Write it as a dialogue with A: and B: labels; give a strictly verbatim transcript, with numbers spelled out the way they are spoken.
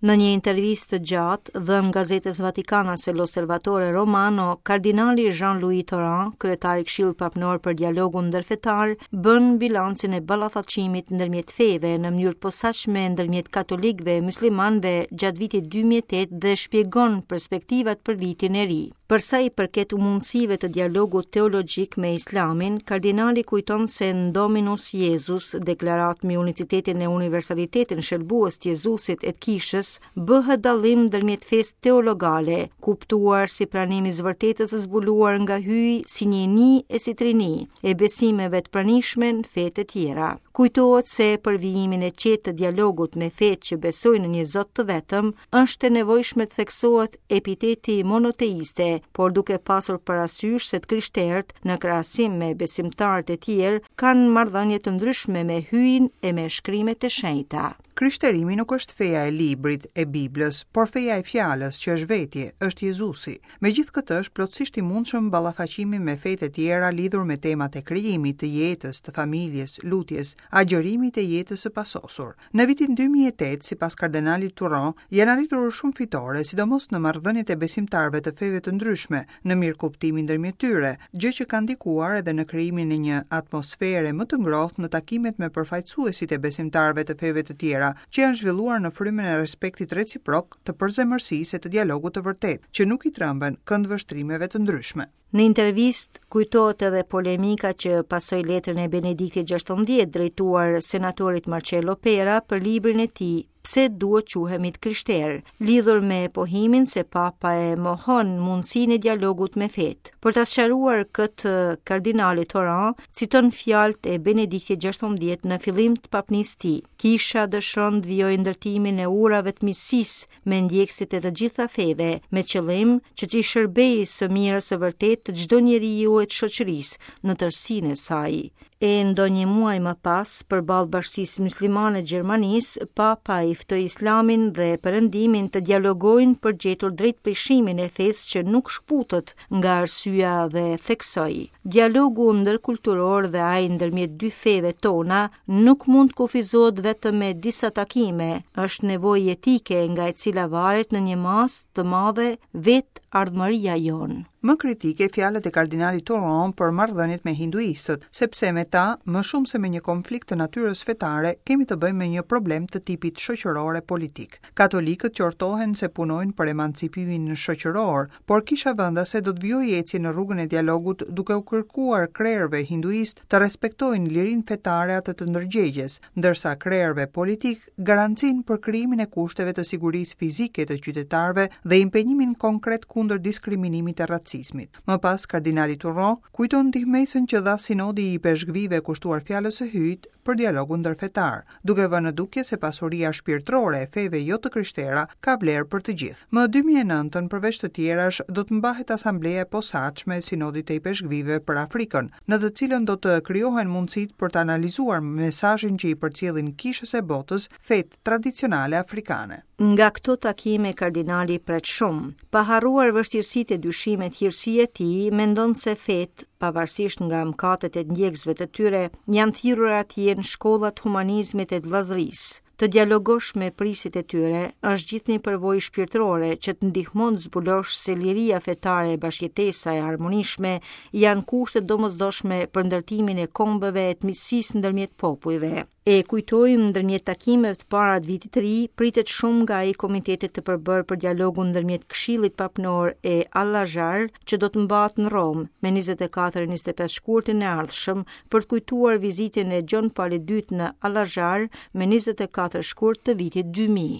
A: Në një intervistë të gjatë dhënë gazetës vatikanase L'Osservatore Romano, kardinali Jean-Louis Tauran, kryetari i Këshillit Papnor për Dialogun Ndërfetar, bën bilancin e ballafaqimit ndërmjet feve në mënyrë të posaçme ndërmjet katolikëve e muslimanëve gjatë vitit dy mijë e tetë dhe shpjegon perspektivat për vitin e ri. Për sa i përket mundësive të dialogut teologjik me Islamin, kardinali kujton se në Dominus Iesus, deklaratë mbi unicitetin e universalitetin shëlbues të Jezusit e të kishës, bëhet dallim ndërmjet fesë teologale, kuptuar si pranimi i vërtetës së zbuluar nga Hyji si njëni e si trini, e besimeve të pranishme në fetë e tjera. Kujtohet se për vijimin e qetë të dialogut me fetë që besojnë në një Zot të vetëm, është e nevojshme të theksohet epiteti monoteiste, por duke pasur parasysh se të krishterët, në krahasim me besimtarët e tjerë, kanë marrëdhënie të ndryshme me Hyjin e me shkrimet e shenjta.
B: Krishterimi nuk është feja e librit, e Biblës, por feja e fjalës që është vetje, është Jezusi. Megjithë këtë, është plotësisht i mundshëm ballafaqimi me fetë e tjera lidhur me temat e krijimit, të jetës, të familjes, lutjes, agjërimit e jetës së pasosur. Në vitin dy mijë e tetë, sipas kardinalit Tauran, janë arritur shumë fitore, sidomos në marrëdhëniet e besimtarëve të feve të ndryshme, në mirëkuptimin ndërmjet tyre, gjë që ka ndikuar edhe në krijimin e një atmosfere më të ngrohtë në takimet me përfaqësuesit e besimtarëve të feve të tjera, që janë zhvilluar në frymën e respektit reciprok, të përzemërsisë e të dialogut të vërtetë, që nuk i tremben këndvështrimeve të ndryshme.
A: Në intervistë kujtohet edhe polemika që pasoi letrën e Benediktit gjashtëmbëdhjetë drejtuar senatorit Marcello Pera për librin e tij "Pse duhet quhemi të krishterë", lidhur me pohimin se Papa e mohon mundësinë e dialogut me fetë. Për ta sqaruar këtë, kardinali Tauran citon fjalët e Benediktit gjashtëmbëdhjetë në fillim të papnisë tij. "Kisha dëshiron të vijojë ndërtimin e urave të miqësisë me ndjekësit e të gjitha feve, me qëllim që t'i shërbejë së mirës së vërtetë të çdo njeriu e të shoqërisë në tërësinë e saj." E ndonjë muaj më pas, përballë bashkësisë muslimane të Gjermanisë, Papa i ftoi Islamin dhe Perëndimin të dialogojnë për gjetur drejtpeshimin e fesë që nuk shkputet nga arsyeja dhe theksoi: "Dialogu ndërkulturor dhe ai ndërmjet dy feve tona nuk mund të kufizohet vetëm me disa takime, është nevojë etike nga e cila varet në një masë të madhe vetë ardhmëria jonë."
B: Më kritike fjalët e kardinalit Tauran për marrëdhëniet me hinduistët, sepse me ta, më shumë se me një konflikt të natyrës fetare, kemi të bëjmë me një problem të tipit shoqëror e politik. Katolikët qortohen se punojnë për emancipimin shoqëror, por kisha vendase do të vijojë ecjen në rrugën e dialogut, duke u kërkuar krerëve hinduist të respektojnë lirinë fetare, atë të ndërgjegjes, ndërsa krerëve politik garancinë për krijimin e kushteve të sigurisë fizike të qytetarëve dhe impenjimin konkret kundër diskriminimit e racizmit. Më pas, kardinali Tauran kujton ndihmesën që dha sinodi i ipeshkvijve kushtuar fjalës së Hyjit për dialogun ndërfetar, duke vënë në dukje se pasuria shpirtërore e feve jo të krishtera ka vlerë për të gjithë. Më dy mijë e nëntë, përveç të tjerash, do të mbahet asambleja e posaçme e sinodit të ipeshkvijve për Afrikën, në të cilën do të krijohen mundësitë për të analizuar mesazhin që i përcjellin kishës e botës fetë tradicionale afrikane.
A: Nga këto takime kardinali pret shumë. Pa harruar vështirësitë e dyshimet, hirësia e tij mendon se fetë, pavarësisht nga mëkatet e ndjekësve të tyre, janë thirrur atje në shkollat humanizmit e vëllazërisë. Të dialogosh me prijësit e tyre është gjithë një përvojë shpirtërore që të ndihmon të zbulosh se liria fetare e bashkëjetesa e harmonishme janë kushte domosdoshme për ndërtimin e kombeve e të miqësisë ndërmjet popujve. E kujtojmë, ndërmjet takimeve të para të vitit të ri, pritet shumë nga ai komitetit të përbërë për dialogun ndërmjet Këshillit Papnor e Al-Azhar, që do të mbahet në Romë me njëzet e katër e njëzet e pesë shkurtin e ardhshëm për të kujtuar vizitën e John Paulit të Dytë në Al-Azhar me njëzet e katër shkurt të vitit dy mijë.